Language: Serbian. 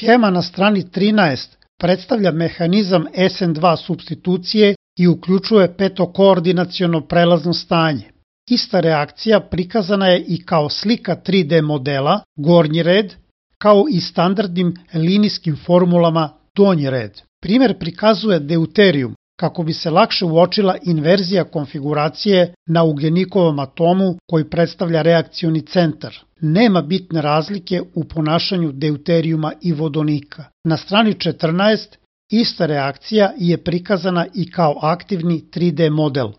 Schema na strani 13 predstavlja mehanizam SN2 supstitucije i uključuje petokoordinaciono prelazno stanje. Ista reakcija prikazana je i kao slika 3D modela, gornji red, kao i standardnim linijskim formulama, donji red. Primer prikazuje deuterijum, kako bi se lakše uočila inverzija konfiguracije na ugljenikovom atomu koji predstavlja reakcioni centar. Nema bitne razlike u ponašanju deuterijuma i vodonika. Na strani 14 ista reakcija je prikazana i kao aktivni 3D model.